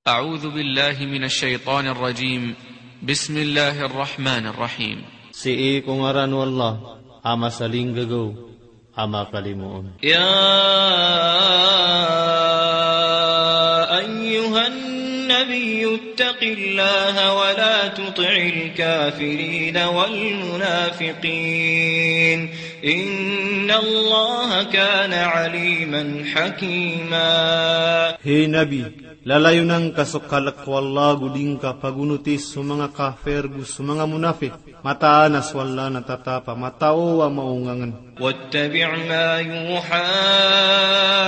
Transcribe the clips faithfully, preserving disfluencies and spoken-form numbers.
أعوذ بالله من الشيطان الرجيم. بسم الله الرحمن الرحيم. Sii ko ngaran o Allah a masalinggagaw a makalimoon. يا أيها النبي اتق الله ولا تطع الكافرين والمنافقين. إن الله كان عليما حكيما. Hay Nabi, lalayon angka so kalk o Allah go di ngka pagonoti so manga kafir go so manga munafik. Mataan a so Allah na tatap a matao a maongangen. واتبع ما يوحى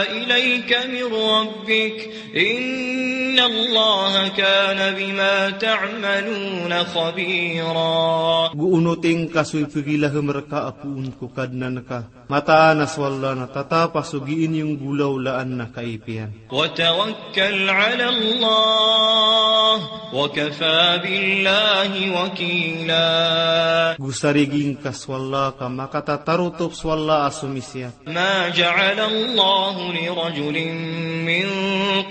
إليك من ربك إن الله كان بما تعملون خبيرا. Go onoti ngka so ipegilahem rka a poon ko Kadnan ka. Mataan a so Allah na tatap a so gii niyo nggolawlaan na kaipiyan. وتوكل على الله وكفى بالله وكيلا. Go sarigi ngka so Allah ka makatatarotop so Allah a somisiyat. ما جعل الله لرجل من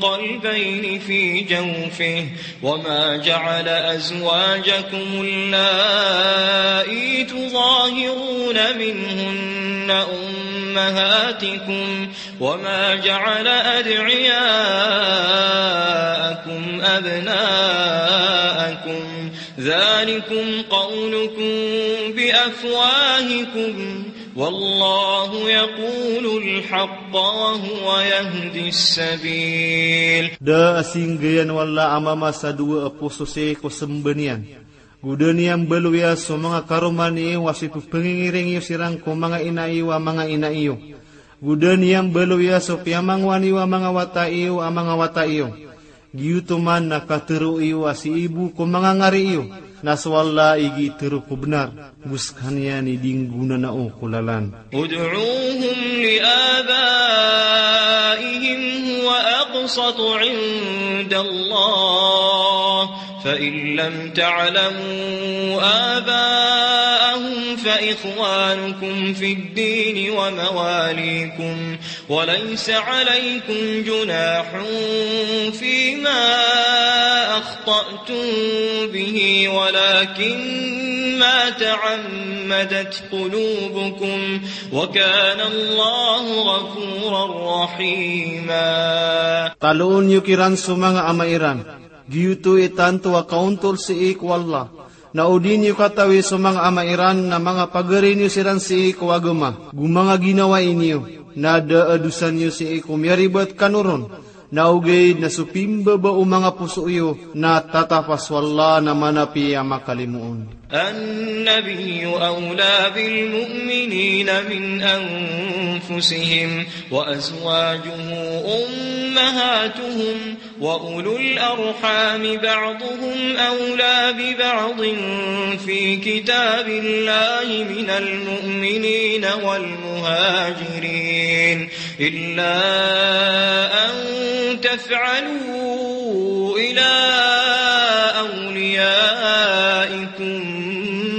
قلبين في جوفه وما جعل أزواجكم اللائي تظاهرون منهن أمهاتكم وما جعل أدعياءكم أبناءكم ذلكم قولكم بأفواهكم والله يقول الحق وهو يهدي السبيل. Da a singgayan o Allah a mama sa dowa a poso sii ko semba niyan. Go da niyan baloya so manga karoma niyo a so ipepengingiring iyo siran ko manga ina iyo a manga ina iyo. Go da niyan baloya so piyamangowa niyo a manga wata iyo a manga wata iyo. Giyoto man na katero iyo a sii bo ko manga ngari iyo, na so Allah i gii tero ko benar, go sekaniyan i di nggonanao ko lalan. ادعوهم لآبائهم هو أقسط عند الله، فإن لم تعلموا آباءهم فإخوانكم في الدين ومواليكم، وليس عليكم جناح فيما أخطأتم به ولكن ما تعمدت قلوبكم وكان الله غفورا رحيما. Taloon iyo kiran so manga ama iran. Giyoto i tanto a kaontol sii ko Allah. Na o di niyo katawi so manga ama iran na manga pagari niyo siran sii ko agama, go manga ginawai niyo, na da a dosa niyo sii ko miyaribat kano ron, na ogaid na so pimbaba o manga poso iyo na tatap a so Allah na manapi a makalimoon. النبي أولى بالمؤمنين من أنفسهم وأزواجه أمهاتهم وأولو الأرحام بعضهم أولى ببعض في كتاب الله من المؤمنين والمهاجرين إلا أن تفعلوا إلى أوليائكم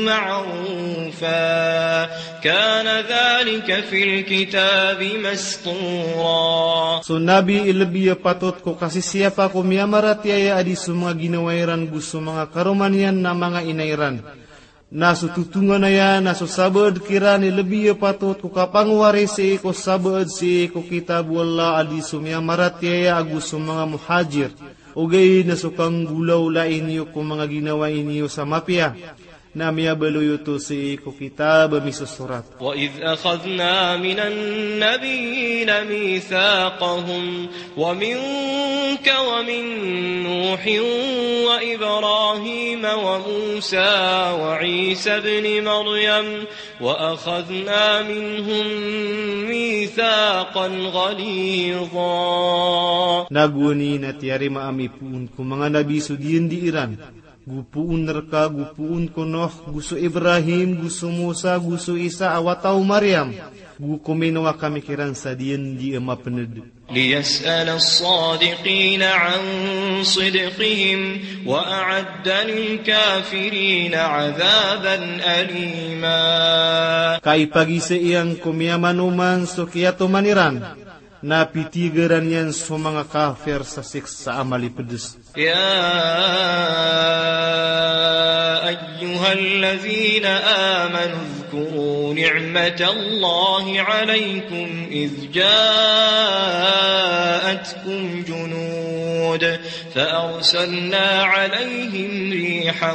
معروفا كان ذلك في الكتاب مسطورا. So Nabi i lebi a patot ko kasisiyapa ko miyamaratiyaya a di so manga ginawa iran go so manga karoma niyan na manga ina iran. Na so totonganaya na so sabaad kiran i lebi a patot ko kapangowari sii ko sabaad sii ko kitab o Allah a di so miyamaratiyaya ago so manga muhajir. Ogaid na so kanggolawlai niyo ko manga ginawai niyo sa mapiya. Na miyabaloy oto sii ko kitab a misosorat. وإذ أخذنا من النبيين ميثاقهم ومنك ومن نوح وإبراهيم وموسى وعيسى ابن مريم وأخذنا منهم ميثاقا غليظا. Na gowani na tiyarima ami poon ko manga nabi so diyandi iran. Go poon rka, go poon ko Nuh, go so Ibrahim, go so Musa, go so Isa a wata o Maryam. Go kominowa kami kiran sa diyandi a mapened. ليسأل الصادقين عن صدقهم وأعد للكافرين عذابا أليما. Ka ipagizaan ko miyamanoman so kiyatoman iran. Na pitigaran iyan so manga kafir sa siksa a malipedes. يا أيها الذين آمنوا اذكروا نعمة الله عليكم إذ جاءتكم جنود فأرسلنا عليهم ريحا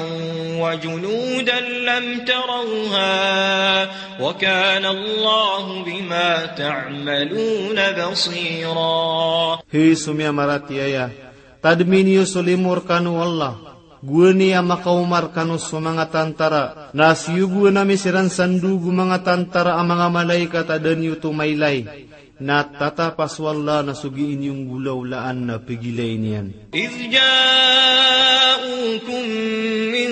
وجنودا لم تروها وكان الله بما تعملون بصيرا. Hay so miyamaratiyaya, tadmi niyo so limo rekano o Allah, gowani a makaoma rekano so manga tantara, na siyogoan ami siran sa ndog o manga tantara a manga malaikat a da niyo oto mailay. Na tatapa so Allah na so gii niyo nggolawlaan na pegilayn iyan. إذ جاءوكم من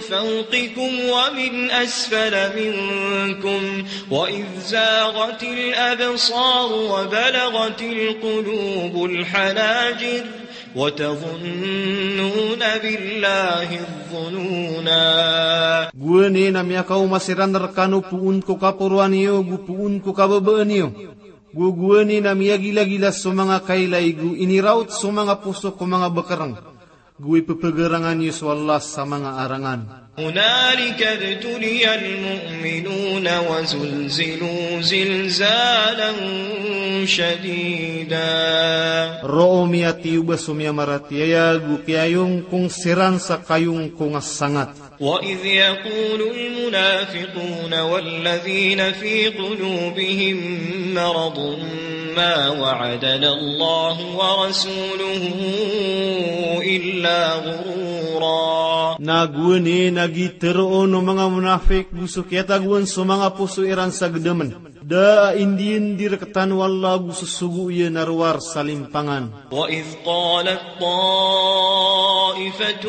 فوقكم ومن أسفل منكم وإذ زاغت الأبصار وبلغت القلوب الحناجر وتظنون بالله الظنونا. Gowani na miyakaoma siran rekano poon ko kaporoan iyo, go poon ko kababaan iyo. Go gowani na miyagilagila so manga kailay, go inirawot so manga poso ko manga bekereng. Go ipepegarangan iyo so Allah sa manga arangan. هنالك ابتلي المؤمنون وزلزلوا زلزالا شديدا. Roo miyatiyoba so miyamaratiyaya, go kiyayongkong siran sa kayongkong a sangat. وإذ يقول المنافقون والذين في قلوبهم مرض ما وعدنا الله ورسوله إلا غرورا. Na gowani na gii teroon o manga monafik go so kiyatagoan so manga poso iran sa gedamen. Da a indiyandi rektano o Allah go so sogo iyan a rowar sa limpangan. وإذ قالت طائفة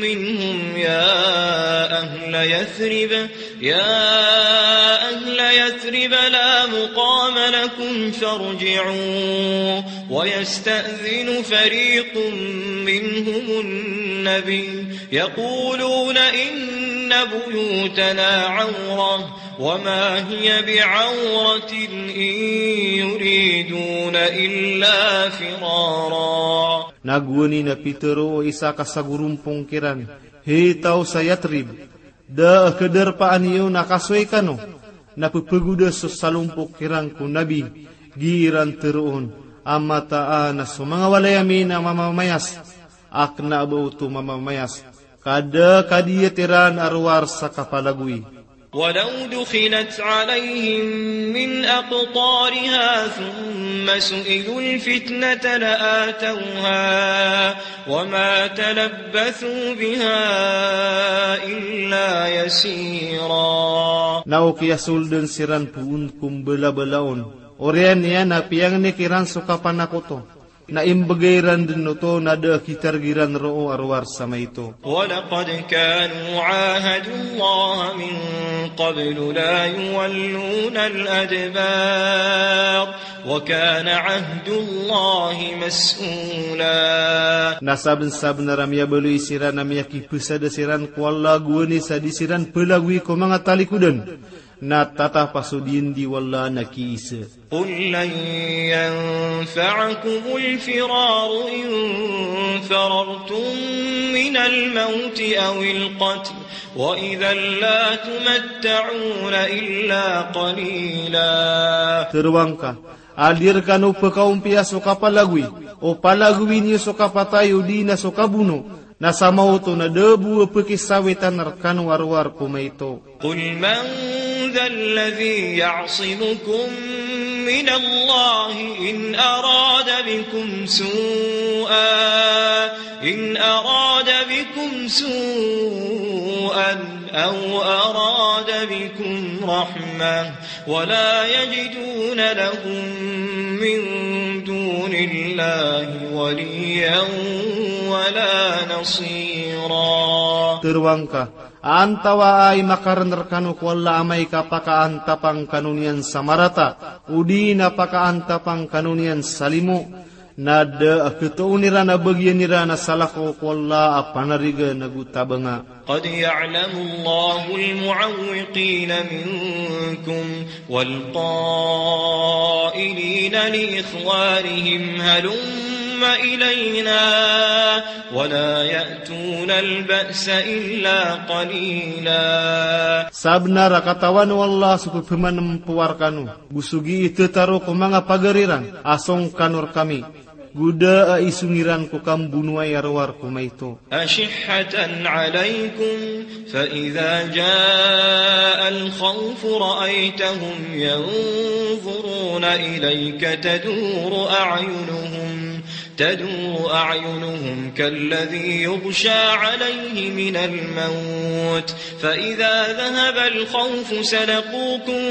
منهم يا أهل يثرب، يا أهل يثرب لا مقام لكم فارجعوا، ويستأذن فريق منهم النبي يقولون إن بيوتنا عورة وما هي بعورة إن يريدون إلا فرارا. Na gowani na pitero o isa ka sagorompong kiran, hay taw sa Yathrib, da a kadarpaan iyo na kasoy kano, na pepegoda so salompok kiran ko Nabi, gii iran teroon a mataan a so manga walay ami na mamamayas, a kena a ba oto mamamayas, ka da a kadiyat iran a rowar sa kapalagoy. ولو دخلت عليهم من أقطارها ثم سئلوا الفتنة لآتوها وما تلبثوا بها إلا يسيرا. Na o kiyasolden siran poon ko mbalabalaon, oriyan iyan a piyangni kiran so kapanakoto, na imbegay iran den oto na da a kitareg iran roo a rowar sa maito. ولقد كانوا عاهدوا الله من قبل لا يولون الأدبار وكان عهد الله مسؤولا. Na sabensabenar a miyabaloy siran a miyakipesada siran ko Allah gowani sa di siran pelagoy ko manga talikodan, na tatapa so diyandi o Allah na kiisa. قل لن ينفعكم الفرار إن فررتم من الموت أو القتل وإذا لا تمتعون إلا قليلا. Teroang ka, a di rekano pekaompiya so kapalagoy, o palagoy niyo so kapatay odi na so kabono, na sa maoto na da bo a pekisawitan rekano a rowar ko maito. قل من ذا الذي يعصمكم من الله إن أراد بكم سوءا، إن أراد بكم سوءا أو أراد بكم رحمة ولا يجدون لهم من دون الله وليا ولا نصيرا. Teroang ka, antawaa i makaran rekano ko Allah amay ka pakaantapang kano niyan sa marata, odi na pakaantapang kano niyan sa limo, Na da a ketoon iran a bagian iran a salakaw ko Allah a panarigan ago tabanga. قد يعلم الله المعوقين منكم والقائلين لإخوانهم هلم إلينا ولا يأتون البأس إلا قليلا. Sabenar a katawan o Allah so pepamanempowar kano, go so gii tetaro ko manga pagar iran a song kano rekami, go da a isong iran ko kambonoay a rowar ko maito. أشحة عليكم فإذا جاء الخوف رأيتهم ينظرون إليك تدور أعينهم تدور أعينهم كالذي يغشى عليه من الموت فإذا ذهب الخوف سلقوكم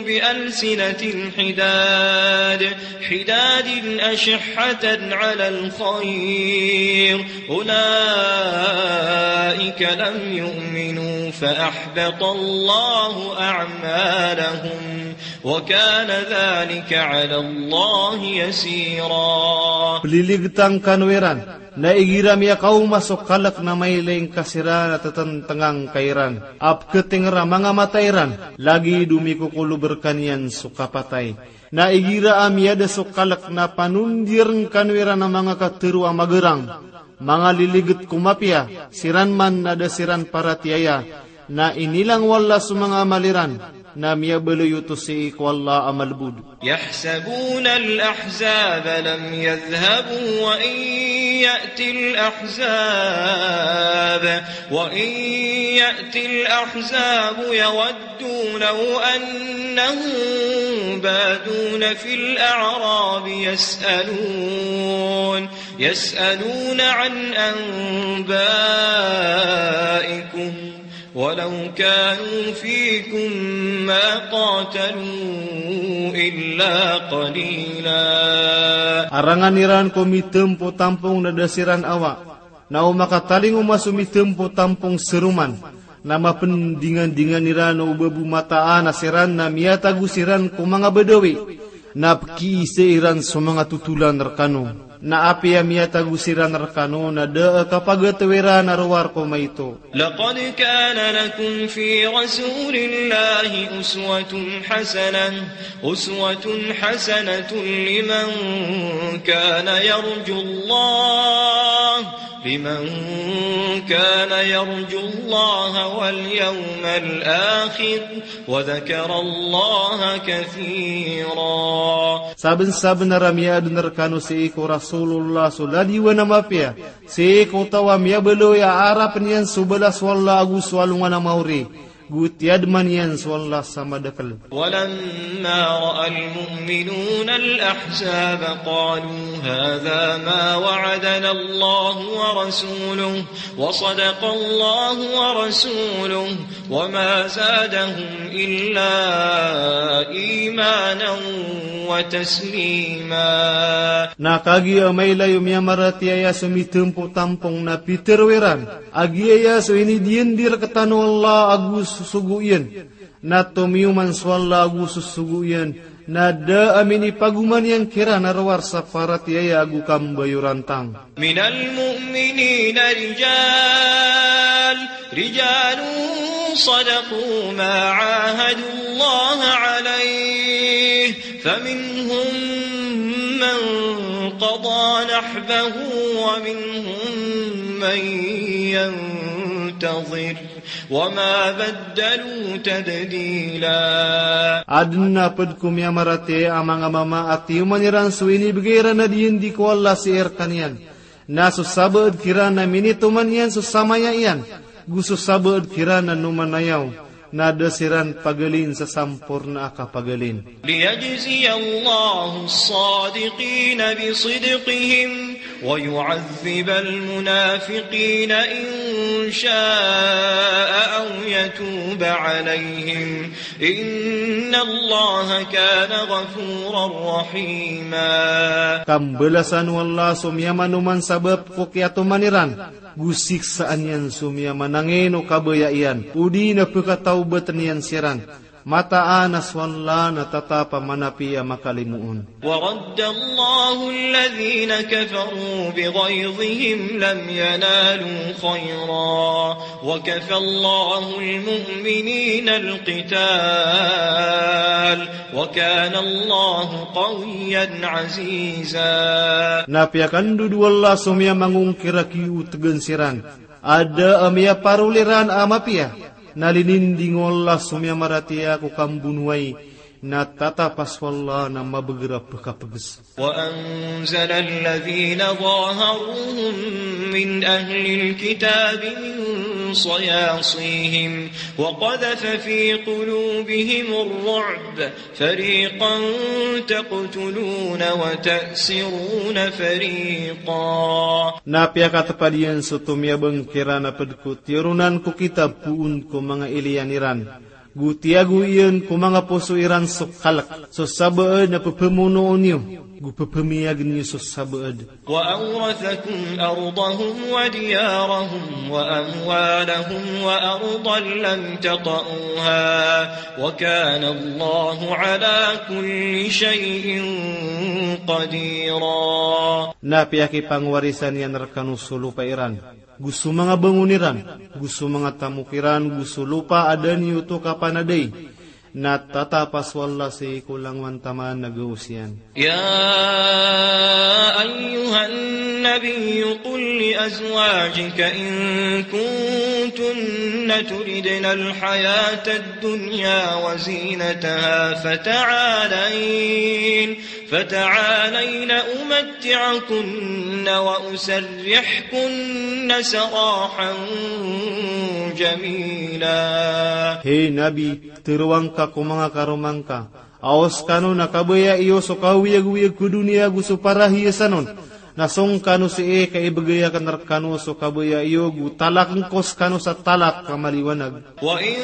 بألسنة حداد حداد أشحة على الخير أولئك لم يؤمنوا فأحبط الله أعمالهم وكان ذلك على الله يسيرا. Peliligetan kano iran, na igira miyakaoma so kalek na mailay ngka siran a tetentengan ka iran a peketenger a manga mata iran, lagid o mikokolob rekaniyan so kapatay. Na igira a miyada so kalek na panondiren kano iran a manga katero a magarang, manga liliget ko mapiya, siran man na da siran paratiyaya, na inilang o Allah so manga amal iran, na miyabaloy oto sii ko Allah a malebod. يحسبون الأحزاب لم يذهبوا وإن يأت الأحزاب وإن يأت الأحزاب يودوا لو أنهم بادون في الأعراب يسألون يسألون عن أنبائكم ولو كانوا فيكم ما قاتلوا إلا قليلا. Arangan iran ko mitempo tampong na da siran awa, na o makatalingoma so mitempo tampong seroman, na mapendingandingan iran o babomataan a siran na miyatago siran ko manga Badawi, na pekiisa iran so manga totolan rekano. Na apiya miyatago siran rekano na da a kapagataw iran a rowar ko maito. لقد كان لكم في رسول الله أسوة حسنة، أسوة حسنة لمن كان يرجو الله، لمن كان يرجو الله واليوم الآخر، وذكر الله كثيرا. Sabensabenar a miyaaden rekano sii ko Rasulullah so ladiwan a mapiya, sii ko taw a miyabaloy a arapen iyan so balas o Allah ago so alongan a maori, go tiyademan iyan so Allah sa madakel. ولما رأى المؤمنون الأحزاب قالوا هذا ما وعدنا الله ورسوله وصدق الله ورسوله وما زادهم إلا إيمانا وتسليما. Na kagiya mailay o miyamaratiyaya so mitempo tampong na pitero iran a giyaya so inidiyendir rektano o Allah ago so sogo iyan, na tomiyoman so Allah ago so sogo iyan, na da a minipagoman iyan kiran a rowar sa paratiyaya ago kambayorantang. من المؤمنين رجال، رجال صدقوا ما عاهدوا الله عليه، فمنهم من قضى نحبه ومنهم من ينتظر، وما بدلوا تبديلا. Aden a ped ko miyamaratiyaya a manga mama a tiyoman iran so inibegay iran a diyendi ko Allah sii rekaniyan. Na so sabaad kiran na minitoman iyan so samaya iyan, go so sabaad kiran na nomanayaw, na da siran pagalin sa samporna a kapagalin. ليجزي الله الصادقين بصدقهم ويعذب المنافقين إن شاء أو يتوب عليهم إن الله كان غفورا رحيما. Kambalasan o Allah so miyamanoman sabap ko kiyatoman iran, go siksaan iyan so miyamanangin o kabaya iyan, odi na pekatawbaten iyan siran. Mataan a so Allah na tatap a manapiya a makalimoon. ورد الله الذين كفروا بغيظهم لم ينالوا خيرا وكفى الله المؤمنين القتال وكان الله قويا عزيزا. Na piyakandodo o Allah so miyamangongkir a kiyotegan siran a da a miyaparol iran a mapiya, na lininding o Allah so miyamaratiyaya ko kambonowai, na tatap a so Allah na mabeger a pekapeges. وأنزل الذين ظاهروهم من أهل الكتاب من صياصيهم وقذف في قلوبهم الرعب فريقا تقتلون وتأسرون فريقا. Na piyakatepad iyan so tomiyabang kiran a ped ko tiyoronan ko kitab poon ko manga iliyan iran, go tiyago iyan ko manga poso iran so kalek, so sabaad na pepemonoon iyo, go pepemiyagen iyo so sabaad. وأورثكم أرضهم وديارهم وأموالهم وأرضا لم تطئوها وكان الله على كل شيء قديرا. Na piyakipangwarisan iyan rekano so lopa iran, go so manga bangon iran, go so manga tamok iran, go so lopa a da niyo oto kapanadai. Na tatap a so Allah sii ko langowan taman a gaos iyan. يا أيها النبي قل لأزواجك إن كنتن تردن الحياة الدنيا وزينتها فتعالين فتعالين أمتعكن وأسرحكن سراحا جميلا. Hay Nabi, teroa ngka ko manga karoma ngka a o sekano na kabaya iyo so kaoyagoyag ko doniya go so parahiyasan on, na song kano sii ka ibegay aken rekano so kabaya iyo go talaken ko sekano sa talak a maliwanag. وإن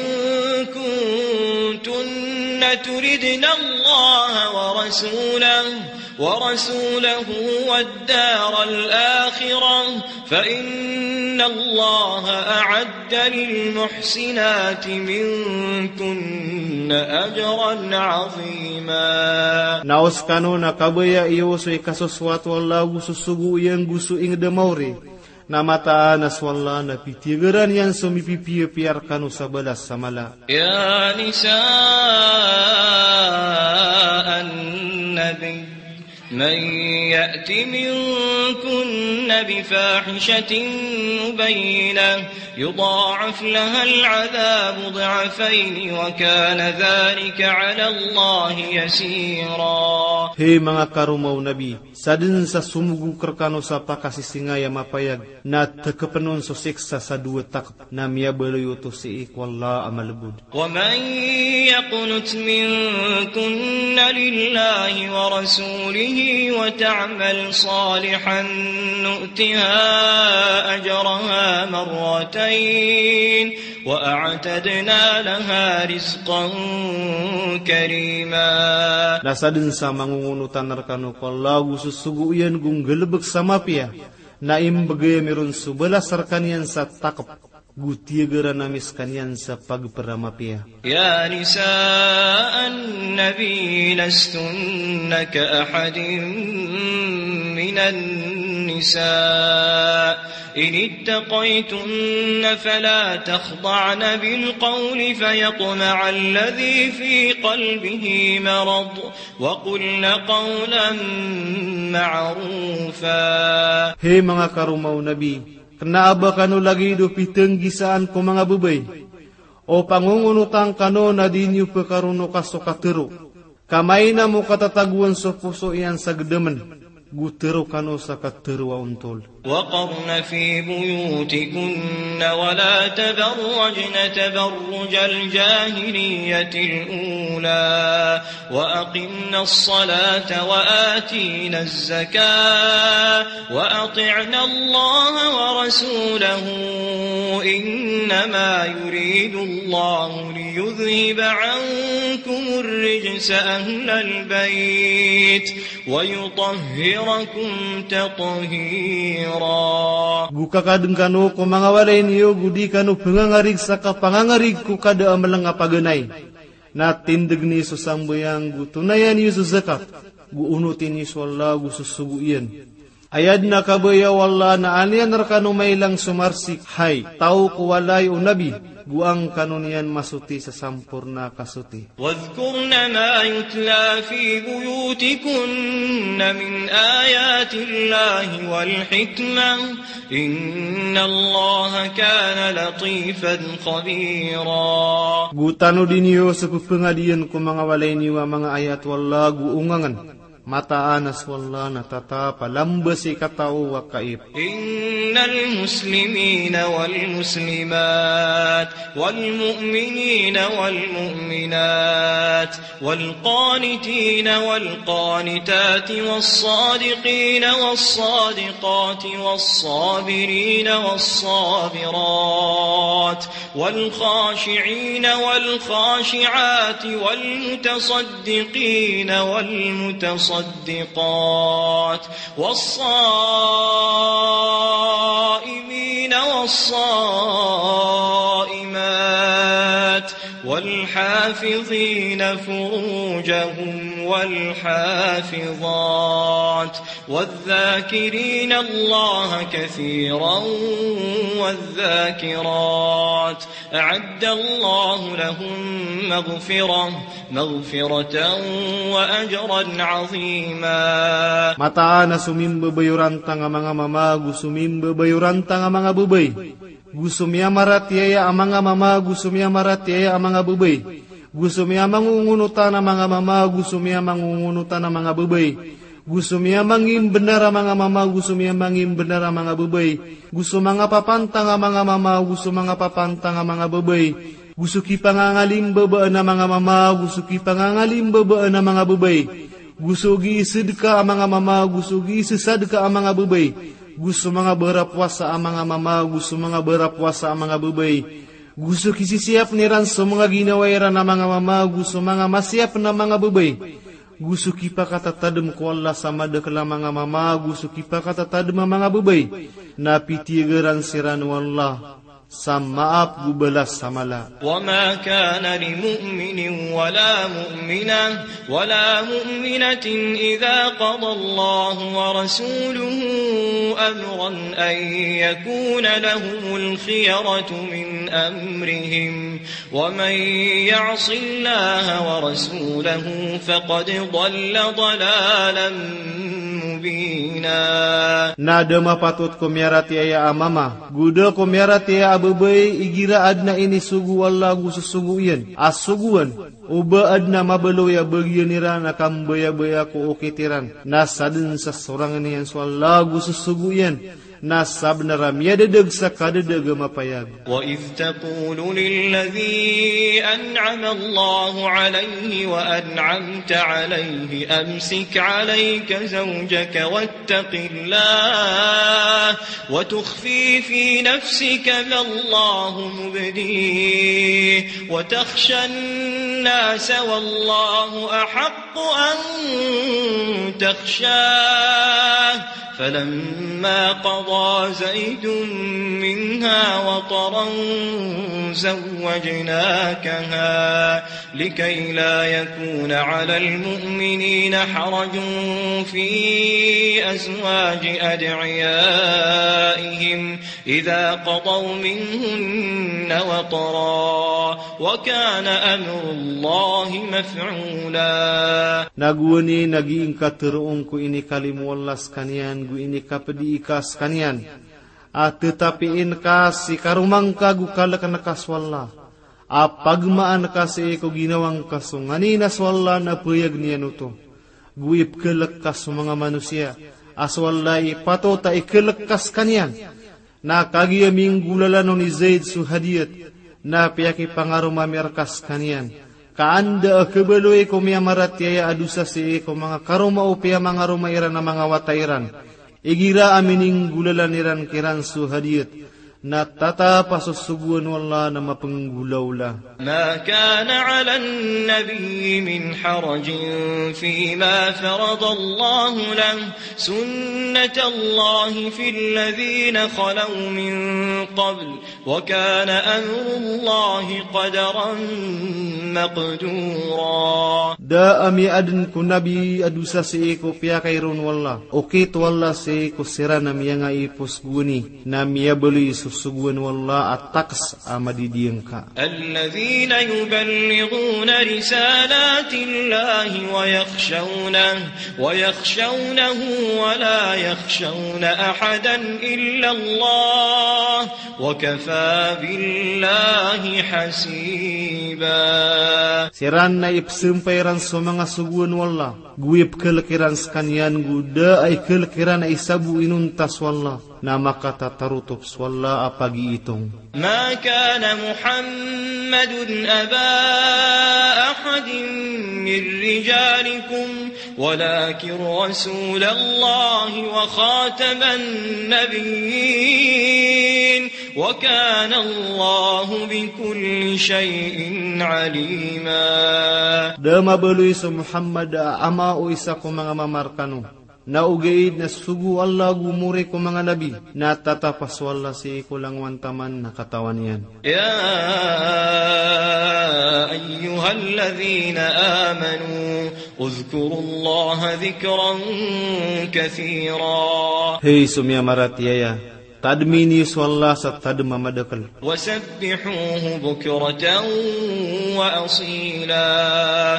كنتن تردن الله ورسوله، ورسوله والدار الآخرة، فإن الله أعد للمحسنات منكن أجرا عظيما. Na o sekano na kabaya iyo so ikasosoat o Allah go so sogo iyan go so inged a maori, na mataan a so Allah na pitiyagaran iyan so mipipiyapiya rekano sa balas sa mala. يا نساء النبي من يأت منكن بفاحشة مبينة يضاعف لها العذاب ضعفين وكان ذلك على الله يسيرا. Hay manga karoma o Nabi, sadn sa somogok rekano sa pakasisingay a mapayag, na tekepen on so siksa sa dowa takep, na miyabaloy oto sii ko Allah a malebod. ومن يقنت منكن لله ورسوله وتعمل صالحا نؤتها أجرها مرتين وأعتدنا لها رزقا كريما. Na sadn sa mangongonotan rekano ko Allah go so sogo iyan go nggalebek sa mapiya, na imbegay ami ron so balas rekaniyan sa takep, go tiyagaran ami sekaniyan sa pagper a mapiya. يا نساء النبي لستن كأحد من النساء إن اتقيتن فلا تخضعن بالقول فيطمع الذي في قلبه مرض وقلن قولا معروفا. Hay manga karoma o Nabi, kena a ba kano lagid o pitenggisaan ko manga bebay. O pangongonotan kano na di niyo pekaronoka so katero, ka maina mo katatagoan so poso iyan sa gedemen, go tero kano sa katero a ontol. وقرن في بيوتكن ولا تبرجن تبرج الجاهلية الأولى وأقمن الصلاة وآتين الزكاة وأطعن الله ورسوله إنما يريد الله ليذهب عنكم الرجس أهل البيت ويطهركم تطهيرا. Go kakaden kano ko manga walay niyo go di kano pengangarig sa kapangangarig ko kada a meleng a paganay. Na tindeg niyo so sambayang, go tonayan iyo so zakat, go onoti niyo so Allah go so sogo iyan. Aya den a kabaya o Allah na an iyan rekano mailang so marsik, hay taw ko walay o Nabi, go angkano niyan masoti sa samporna a kasoti. واذكرن ما يتلى في بيوتكن من آيات الله والحكمة إن الله كان لطيفا خبيرا. Go tanodi niyo so pepengadiyen ko manga walay niyo a manga ayat o Allah go ongangen. Mataan a so Allah na tatap a lamba sii katao a kaip. إن المسلمين والمسلمات والمؤمنين والمؤمنات والقانتين والقانتات والصادقين والصادقات والصابرين والصابرات والخاشعين والخاشعات والمتصدقين والمتصدقات والصادقين والصادقات والصائمين والصائمات والحافظين فروجهم والحافظات والذاكرين الله كثيرا والذاكرات أعد الله لهم مغفرة مغفرة وأجرا عظيما. Mataan a so mimbabayorantang a manga mama go so mimbabayorantang a manga babay, go so miyamaratiyaya a manga mama go so miyamaratiyaya a manga babay, go so miyamangongonotan a manga mama go so miyamangongonotan a manga babay, go so miyamangimbenar a manga mama go so miyamangimbenar a manga babay, go so manga papantang a manga mama go so manga papantang a manga babay, go so kipangangalimbabaan a manga mama go so kipangangalimbabaan a manga babay, go so giisedka a manga mama go so giisesadka a manga babay, go so manga barapowasa a manga mama go so manga barapowasa a manga babay, go so kisisiyapn iran so manga ginawa iran a manga mama go so manga masiyapn a manga babay, go so kipakatatadm ko Allah sa madakel a manga mama go so kipakatatadm a manga babay, na pitiyagaran siran o Allah sa maap go balas sa mala. وما كان لمؤمن ولا مؤمنة ولا مؤمنة إذا قضى الله ورسوله أمرا أن يكون لهم الخيرة من أمرهم ومن يعص الله ورسوله فقد ضل ضلالا مبينا. Na da mapatot ko miyaratiyaya a mama go da ko miyaratiyaya a babay igira adn a inisogo o Allah go so sogo iyan a sogoan, o ba adn a mabaloy a bagiyan iran a kambayabaya ko okit iran, na sadn sa sorang iyan so Allah go so sogo iyan, na sabnar a miyadadag sa kadadag a mapayag. وإذ تقول للذي أنعم الله عليه وأنعمت عليه أمسك عليك زوجك واتق الله وتخفي في نفسك ما الله مبديه وتخشى الناس والله أحق أن تخشاه فلما قضى زيد منها وطرا زوجناكها لكي لا يكون على المؤمنين حرج في أزواج أدعيائهم إذا قضوا منهن وطرا وكان أمر الله مفعولا. Na gowani na gii ngka teroon ko inikalimo o Allah sekaniyan go inikapedi ika sekaniyan a tetapiin ka si karoma ngka go kaleken ka so Allah a pagmaan ka sii ko ginawa ngka so nganin a so Allah na payag iyan oto, go ipekelek ka so manga manosiya a so Allah i patot a ikelek ka sekaniyan. Na kagiya minggolalan on i Zaid so hadiyat, na piyakipangaroma mi reka sekaniyan ka anda a khabaloy ko miyamaratiyaya a dosa sii ko manga karoma o piyamangaroma iran a manga wata iran igira a mininggolalan iran kiran so hadiyat. Na tatap a so sogoan o Allah na mapenggolaola. ما كان على النبي من حرج فيما فرض الله له، سنة الله في الذين خلوا من قبل، وكان أمر الله قدرا مقدورا. Da a miyaadn ko Nabi a dosa sii ko piyakairon o Allah. Okit o Allah sii ko siran a miyangaipos goni. Na miyabaloy so sogoan o Allah a taks a madidiyangka. الذين يبلغون رسالات الله ويخشونه، ويخشونه ولا يخشون أحدا إلا الله، وكفى بالله حسيبا. Siran na ipsampay iran so manga sogoan o Allah, go ipkhalk iran skaniyan go da a ikhalk iran a isa bo inonta so Allah, na makatatarotop so Allah a pagiitong. ما كان محمد أبا أحد من رجالكم ولكن رسول الله وخاتم النبيين وكان الله بكل شيء عليما. Da a mabaloy so Muhammad a ama o isa ko manga mama rkano. Na ogaid na sogo o Allah go mori ko manga nabi, na tatap a so Allah sii ko langowan taman na katawan iyan. يا أيها الذين آمنوا اذكروا الله ذكرا كثيرا. Hay so miyamaratiyaya, tadmi niyo so Allah sa tadm a madakl. وسبحوه بكرة وأصيلا.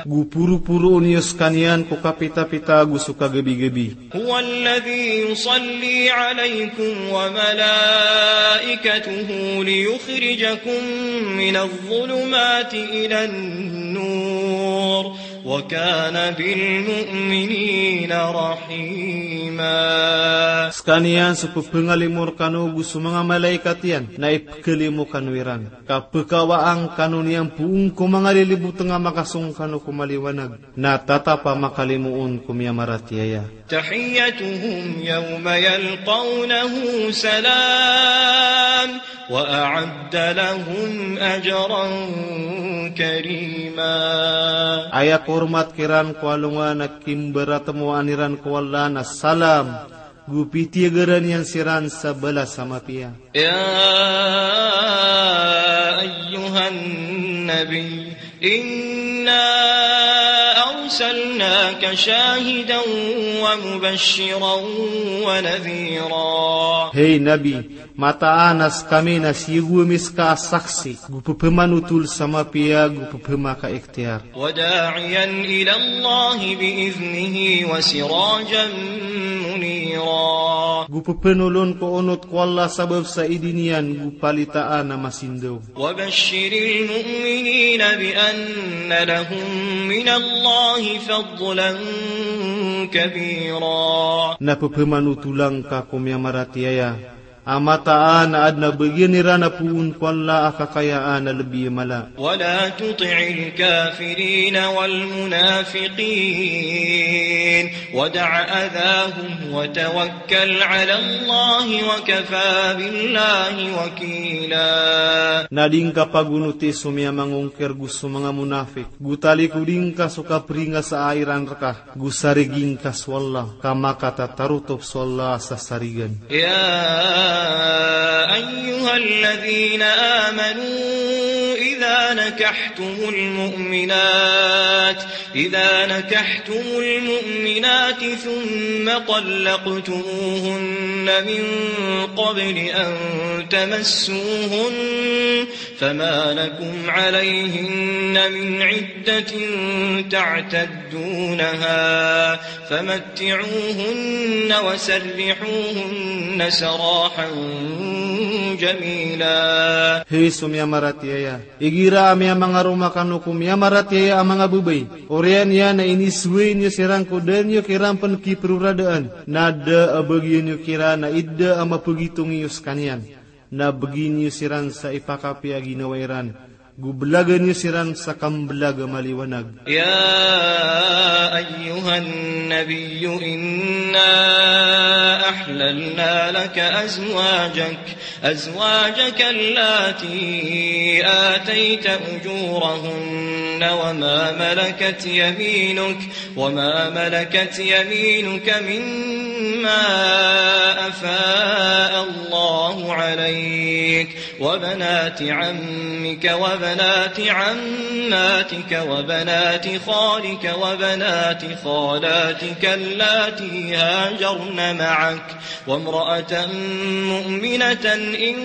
Go poroporoon iyo skaniyan ko kapitapita ago so kagabigabi. هو الذي يصلي عليكم وملائكته ليخرجكم من الظلمات إلى النور وكان بالمؤمنين رحيما. Skaniyan so pephangalimo rkano go so manga malaikat iyan na ipkhalimo kano iran. Ka pekawaan kano niyan poon ko manga lilibotng a makasong kano ko maliwanag. Na tatap a makalimoon ko miyamaratiyaya. تحيتهم يوم يلقونه سلام وأعد لهم أجرا كريما. Aya kormat kiran ko alongan a kimbaratmoan iran ko Allah na salam, go pitiyagaran iyan siran sa balas a mapiya. يا أيها النبي إنا أرسلناك شاهدا ومبشرا ونذيرا. Hay Nabi, mataan a skami na siyogo ami ska a saksi, go pephamanotol sa mapiya, go pephamakaikhtiyar. وداعيا إلى الله بإذنه وسراجا منيرا. Go pephanolon ko onot ko Allah sabap sa idin iyan go palitaan a masindaw. وبشر المؤمنين بأن لهم من الله فضلا كبيرا. Na pephamanotola ngka ko miyamaratiyaya a mataan a adn a bagian iran a poon ko Allah a kakayaan a lbi a mala. ولا تطع الكافرين والمنافقين ودع أذاهم وتوكل على الله وكفى بالله وكيلا. Na di ngka pagonoti so miyamangongkir go so manga monafik, go talikodi ngka so kapringasaa iran rka. Go sarigi ngka so Allah, ka makatatarotop so Allah sa sarigan. يا أيها الذين آمنوا إذا نكحتم المؤمنات، إذا نكحتم المؤمنات ثم طلقتموهن من قبل أن تمسوهن فما لكم عليهن من عدة تعتدونها فمتعوهن وسرحوهن سراحا جميلا. Hay so miyamaratiyaya, igira a miyamangaroma kano ko miyamaratiyaya a manga babay, oriyan iyan a inisoway niyo siran ko da niyo kiran pn kiproradaan, na da a bagian iyo kiran a idda a mapagitong iyo skaniyan. Na bgi niyo siran sa ipakapiya a ginawa iran, Go belagan iyo siran sa kambelaga maliwanag. يا أيها النبي إنا أحللنا لك أزواجك، أزواجك اللاتي آتيت أجورهن وما ملكت يمينك، وما ملكت يمينك مما أفاء الله عليك، وبنات عمك وبنات عماتك وبنات خالك وبنات خالاتك اللاتي هاجرن معك، وامرأة مؤمنة إن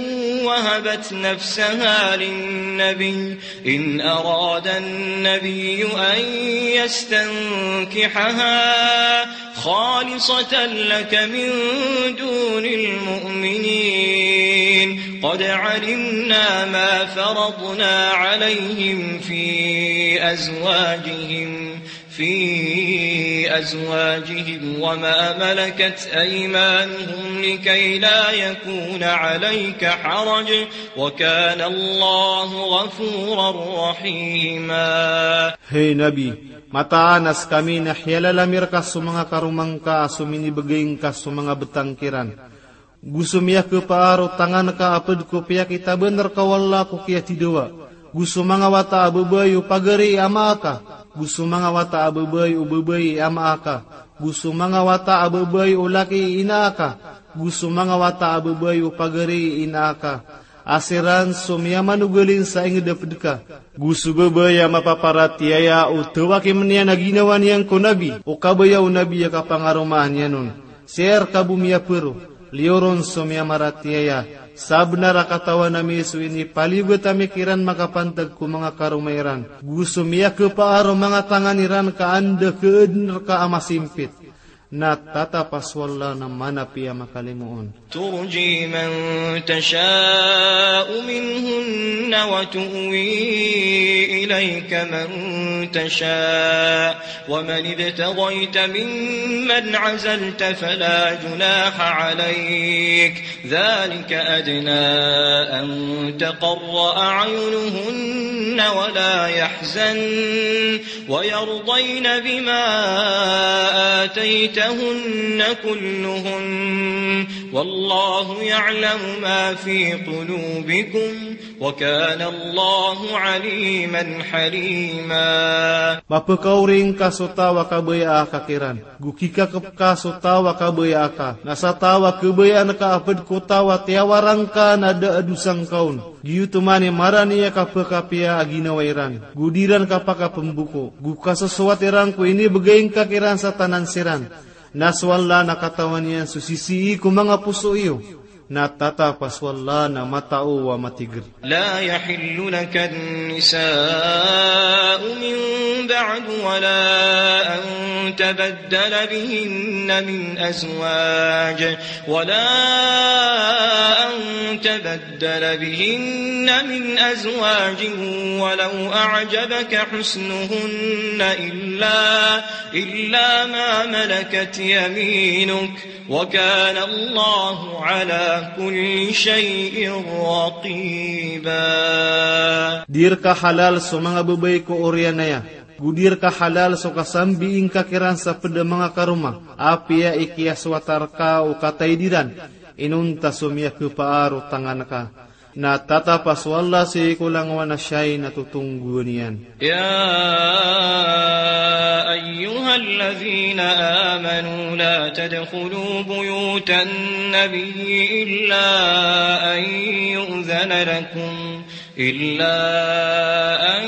وهبت نفسها للنبي، إن أراد النبي أن يستنكحها خالصة لك من دون المؤمنين. قد علمنا ما فرضنا عليهم في أزواجهم، في أزواجهم وما ملكت أيمانهم لكي لا يكون عليك حرج، وكان الله غفورا رحيما. Hay Nabi, mataan a skami na hiyalala mi rka so manga karoma ngka a so minibegay ngka so manga betang kiran. Go so miyakepar o tangan ka a ped ko piyakitaben rka o Allah ko kiyatidawa. Go so manga wata a babay o pagari i ama aka. Go so manga wata a babay o babay i ama aka. Go so manga wata a babay o laki i ina aka. Go so manga wata a babay o pagari i ina aka. A siran so miyamanogalin sa inged a ped ka. Go so babay a mapaparatiyaya o tawakimn iyan a ginawa niyan ko Nabi, o kabaya o Nabi a kapangaromaan iyan on. Sii rka bo miyapero, liyo ron so miyamaratiyaya. Sabnar a katawan ami so inipaliyogat ami kiran makapantag ko manga karoma iran. Go so miyakepaar o manga tangan iran ka anda keaden rka a masimpit. Na tatap a so Allah na manapiya makalimoon. ترجي من تشاء منهن وتؤوي إليك من تشاء، ومن ابتغيت ممن عزلت فلا جناح عليك، ذلك أدنى أن تقر أعينهن ولا يحزن، ويرضين بما آتيتهن كلهن، والله يعلم ما في قلوبكم، وكان الله عليما حليما. Mapekaori ngka so taw a kabayaan ka kiran. Go kikakep ka so taw a kabayaan ka. Na sa taw a kabayaan ka a ped ko taw a tiyawara ngka na da a dosa ngka on. Giyoto man i marani a kapekapiya a ginawa iran. Go di ran kapakapemboko. Go kasosowat iran ko inibegay ngka kiran sa tanan siran. Na so Allah na katawan iyan so sisii ko manga poso iyo. Na tatap a so Allah na matao a matiger. لا يحل لك النساء من بعد ولا أن تبدل بهن من أزواج، ولا أن تبدل بهن من أزواج ولو أعجبك حسنهن إلا، إلا ما ملكت يمينك، وكان الله على كل شيء رقيبا. Di rka halal so manga babay ko oriyan aya. Go di rka halal so kasambii ngka kiran sa ped a manga karoma. Apiya i kiyasowata rka o kataid iran. Inonta so miyakepaar o tangan ka. Na tatap a so Allah sii ko langowan a siyai na totonggowan iyan. يا أيها الذين آمنوا لا تدخلوا بيوت النبي إلا أن يؤذن لكم، إلا أن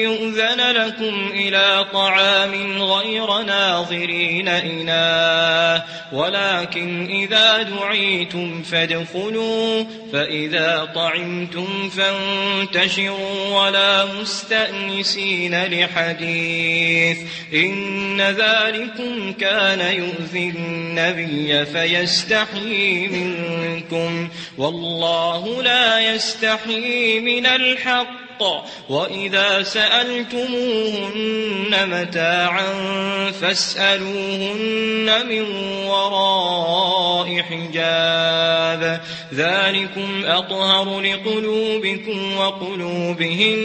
يؤذن لكم إلى طعام غير ناظرين إناه، ولكن إذا دعيتم فادخلوا، فإذا طعمتم فانتشروا ولا مستأنسين لحديث، إن ذلكم كان يؤذي النبي فيستحيي منكم، والله لا يستحيي من الحق، وإذا سألتموهن متاعا فاسألوهن من وراء حجاب، ذلكم أطهر لقلوبكم وقلوبهن،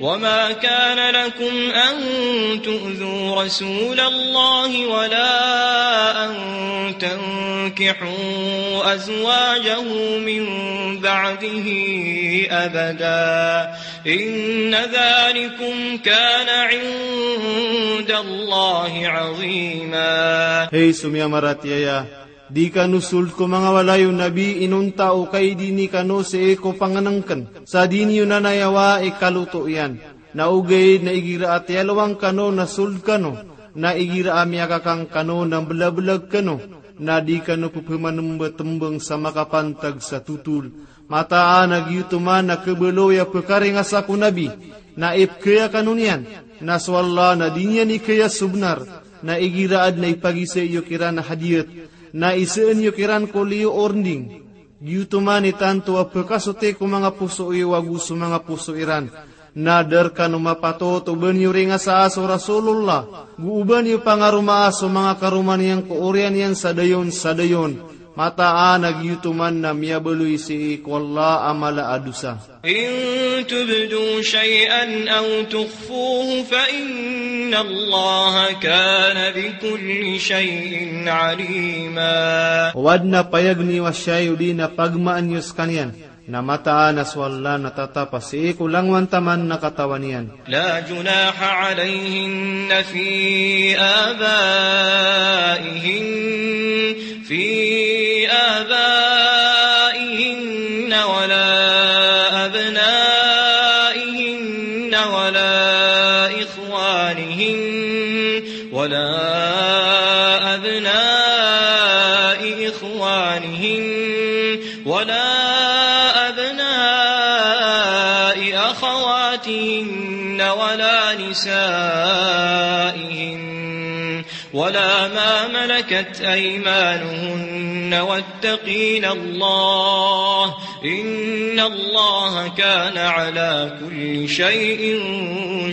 وما كان لكم أن تؤذوا رسول الله ولا أن تنكحوا أزواجه من بعده أبدا، إن ذلكم كان عند الله عظيما. Hay so miyamaratiyaya, di kano sold ko manga walay o Nabi inonta o kaidini kano sii ko pangnngkn, sa di niyo nanayawa i kaloto iyan. Na ogaid na igira a tiyalowang kano na sold kano, na igira a miyakakang kano na mblablg kano, na di kano pphamanmbtmbng sa makapantag sa totol. Mataan a giyoto man a khabaloy a pkaringasa ko Nabi, na ipkhaya kano niyan, na so Allah na di niyan ikhaya so bnar, na igira adn a ipagisa iyo kiran a hadiyat, na isaan iyo kiran ko liyo o rnding. Giyoto man i tanto a pkasoti ko manga poso iyo ago so manga poso iran. Na da rkano mapatot o ba niyo ringasaa so Rasulullah, go o ba niyo pangaromaa so manga karoma niyan ko oriyan iyan sa dayon sa dayon. Mataan a giyoto man na miyabaloy sii ko Allah a mala a dosa. إن تبدوا شيئا أو تخفوه فإن الله كان بكل شيء عليما. O adn a payag niyo a siyay odi na pagmaan iyo skaniyan, na mataan a so Allah na tatap a sii ko langowan taman na katawan iyan. لا جناح عليهن في آبائهن، في آبائهن ولا أبنائهن ولا إخوانهن، ولا أبناء إخوانهن، ولا أبناء أخواتهن، ولا نسائهن، ولا ما ملكت أيمانهن، واتقين الله، إن الله كان على كل شيء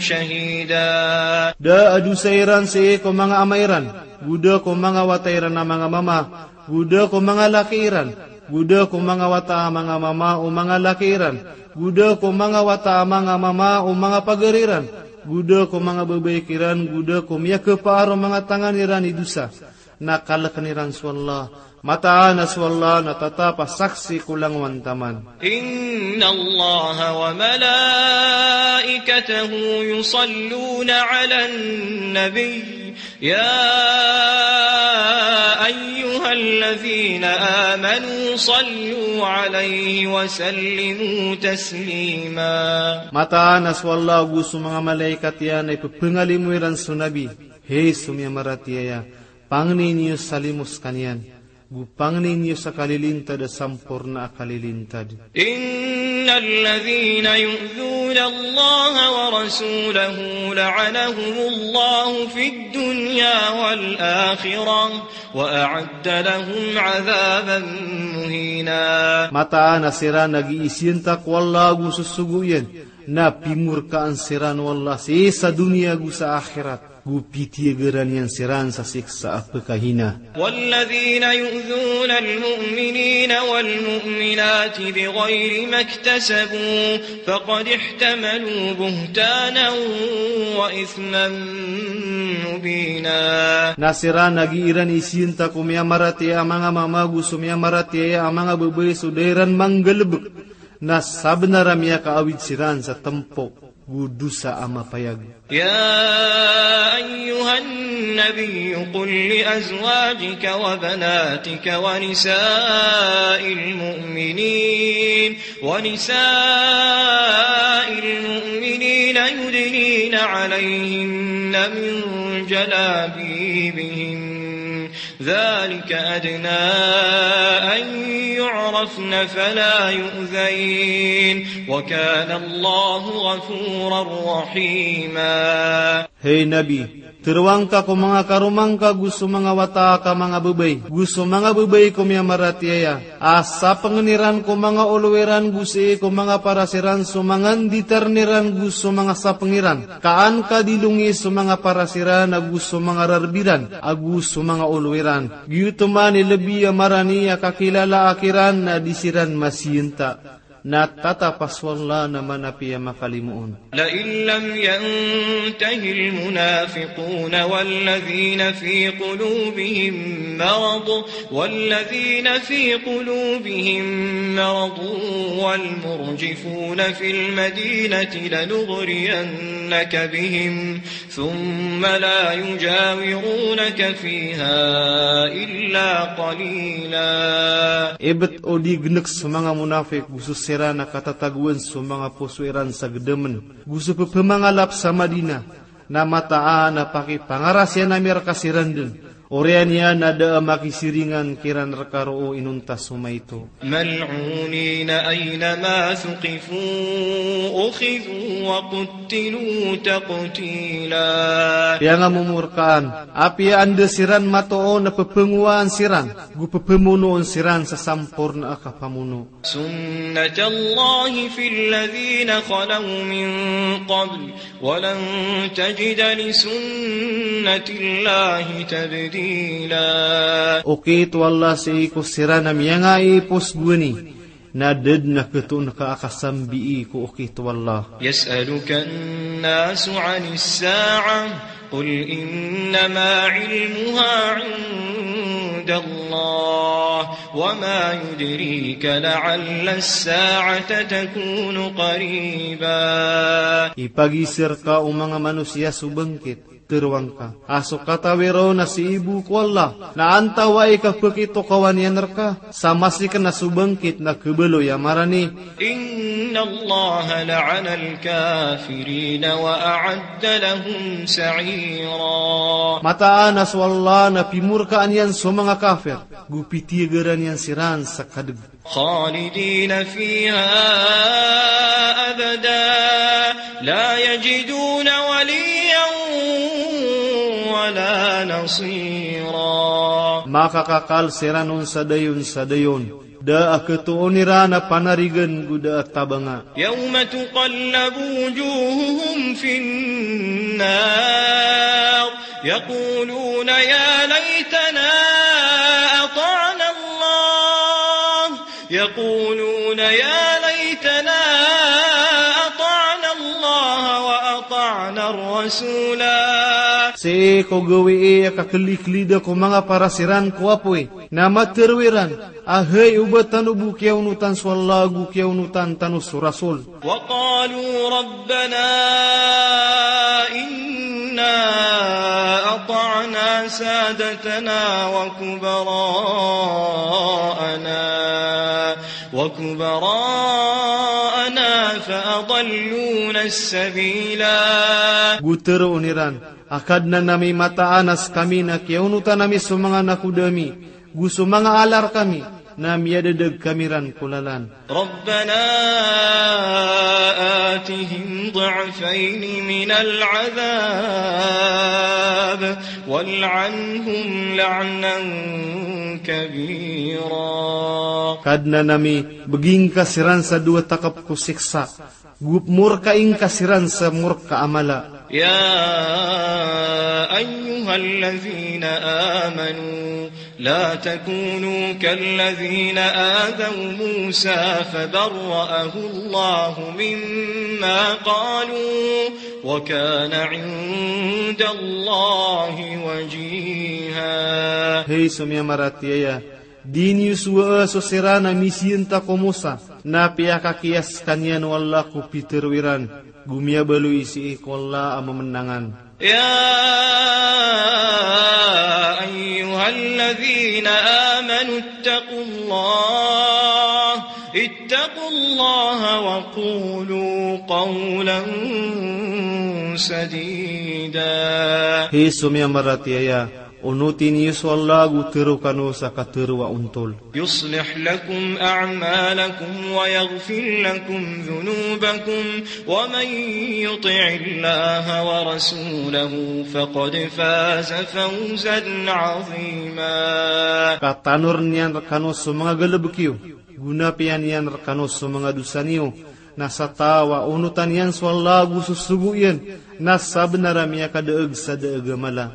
شهيدا. Da a dosa iran sii ko manga ama iran, go da ko manga wata iran a manga mama, go da ko manga laki iran, go da ko manga wata a manga mama o manga laki iran, go da ko manga wata a manga mama o manga pagari ran, go da ko manga babay kiran, go da ko miyakaparo manga tangan iran i dosa. Na kalkn iran so Allah. Mataan a so Allah na tatap a saksi ko langowan taman. إن الله وملائكته يصلون على النبي، يا أيها الذين آمنوا صلوا عليه وسلموا تسليما. Mataan a so Allah ago so manga malaikat iyan na ippangalimo iran so Nabi. Hay so miyamaratiyaya, pangnin iyo sa limo skaniyan, go pangnin iyo sa kalilintad a samporna a kalilintad. إن الذين يؤذون الله ورسوله لعنهم الله في الدنيا والآخرة وأعد لهم عذابا مهينا. Mataan a siran a giisiyanta ko Allah ago so sogo iyan, na pimorkaan siran o Allah sii sa doniya ago sa akhirat. Go pitiyagaran iyan siran sa siksa a pkahina. والذين يؤذون المؤمنين والمؤمنات بغير ما اكتسبوا فقد احتملوا بهتانا وإثما مبينا. Na siran a giiran isiyanta ko miyamaratiyaya a manga mama go so miyamaratiyaya a manga babay so da iran manggalbk, na sabnar a miyakaawid siran sa tmpo go dosa a mapayag. يا أيها النبي قل لأزواجك وبناتك ونساء المؤمنين، ونساء المؤمنين يدنين عليهن من جلابيبهن، ذلك أدنى أن يعرفن فلا يؤذين، وكان الله غفورا رحيما. Hay Nabi, Tharoang ka ko manga karoma ngka go so manga wata ka manga babay, go so manga babay ko miyamaratiyaya, a sapngan iran ko manga olo iran go sii ko manga paras iran so manga nditarn iran go so manga sapng iran, ka an ka di longi so manga paras iran ago so manga rarb iran ago so manga olo iran. Giyoto man i lbi a marani a kakilalaa kiran na di siran masiyanta. Na tatapaswalla na manapiya makalimoon. لئن لم ينته المنافقون والذين في قلوبهم مرض، والذين في قلوبهم مرض والمرجفون في المدينة لنغرينك بهم ثم لا يجاورونك فيها إلا قليلا. Ibt o di gnk so manga munafik go so siran a katatagoan so manga poso iran sa gdamn go so pphamangalap sa Madina, na mataan a pakipangarasiyan ami rka siran dn. Oriyan iyan na da a makisiringan kiran rka roo inonta so maito. ملعونين أينما ثقفوا أخذوا وقتلوا تقتيلا. Piyangamomorkaan, apiya anda siran matoon na pphangowan siran, go pphamonoon siran sa samporna a kapamono. سنة الله في الذين خلوا من قبل ولن تجد لسنة الله تبديلا. Okit o Allah sii ko siran a miyangaipos gowani, na da dn a khatoon ka a kasambii ko okit o Allah. يسألك الناس عن الساعة قل إنما علمها عند الله وما يدريك لعل الساعة تكون قريبا. Ipagiza rka o manga manosiya so bangkit, tharoang ka a so katawi ron na sii bo ko Allah, na antawaa i kapakitokawan iyan rka, sa masi kna so bangkit na khabaloy a marani. إن الله لعن الكافرين وأعد لهم سعيرا. Mataan a so Allah na pimorkaan iyan so manga kafir, go pitiyagaran iyan siran sa kadg. خالدين فيها أبدا لا يجدون وليا ولا نصيرا. Makakakal siran on sa dayon sa dayon. Da a khatoon iran a panarigan go da a tabanga. يوم تقلب وجوههم في النار يقولون يا ليتنا أطعنا الله، يقولون يا ليتنا أطعنا الله وأطعنا الرسولا. Sii ko gawii a kakliklida ko manga paras iran ko apoy, na matharo iran a hay, oba tano bo kiyaonotan so Allah ago kiyaonotan tano so Rasul. وقالوا ربنا إنا أطعنا سادتنا وكبراءنا، وكبراءنا فأضلونا السبيلا. Go tharoon iran a Kadnan ami, mataan a skami na kiyaonotan ami so manga nakoda ami go so manga ala rkami, na miyadadag kami ran ko lalan. ربنا آتهم ضعفين من العذاب والعنهم لعنا كبيرا. Kadnan ami, bgi ngka siran sa dowa takp ko siksa, go pmorkai ngka siran sa morka a mala. يا أيها الذين آمنوا لا تكونوا كالذين آذوا موسى فبرأه الله مما قالوا وكان عند الله وجيها. Hay so miyamaratiyaya, di niyo sowaa so siran a misiyanta ko Musa, na piyakakiyas skaniyan o Allah ko pitharo iran, go miyabaloy sii ko Allah a mamnangan. يا أيها الذين آمنوا اتقوا الله، اتقوا الله وقولوا قولا سديدا. Hay so miyamaratiyaya, Onoti niyo so Allah ago tero kano sa katero a ontol. يصلح لكم أعمالكم ويغفر لكم ذنوبكم ومن يطع الله ورسوله فقد فاز فوزا عظيما. Ka tanoren iyan rekano so manga galebek iyo, go na piyanan iyan rekano so manga dosa niyo, na sa taw a onotan iyan so Allah ago sosogo iyan, na sabenar a miyakadaeg sa daeg a mala.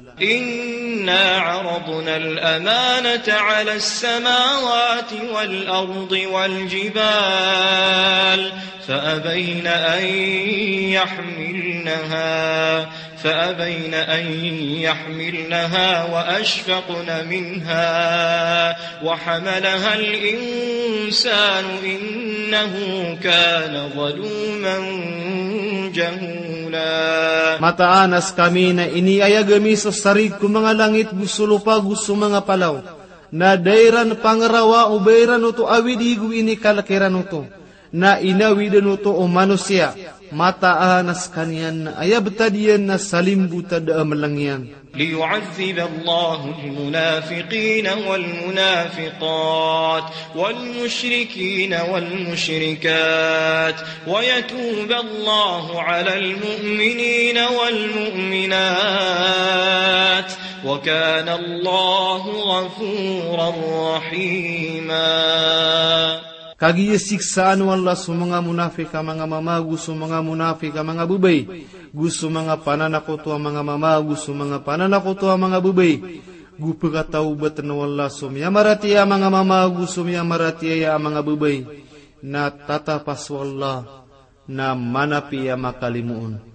إنا عرضنا الأمانة على السماوات والأرض والجبال فأبين أن يحملنها فأبين أن يحملنها وأشفقن منها وحملها الإنسان إنه كان ظلوما جهولا. Mataan a sekami na iniayag ami so sarig ko manga langit go so lopa go so manga palaw, na da iran pangerawa o ba iran oto awidi go inikalek iran oto, na inawiden oto o manosiya. Mataan a sekaniyan na aya betad iyan na salimbotad a meleng iyan. ليعذب الله المنافقين والمنافقات والمشركين والمشركات ويتوب الله على المؤمنين والمؤمنات وكان الله غفورا رحيما. Kagiya siksaan o Allah so manga monafik a manga mama ago so manga monafik a manga babay, go so manga pananakoto a manga mama ago so manga pananakoto a manga babay. Go pekatawbaten o Allah so miyamaratiyaya a manga mama ago so miyamaratiyaya a manga babay. Na tatapas o Allah na manapi a makalimoon.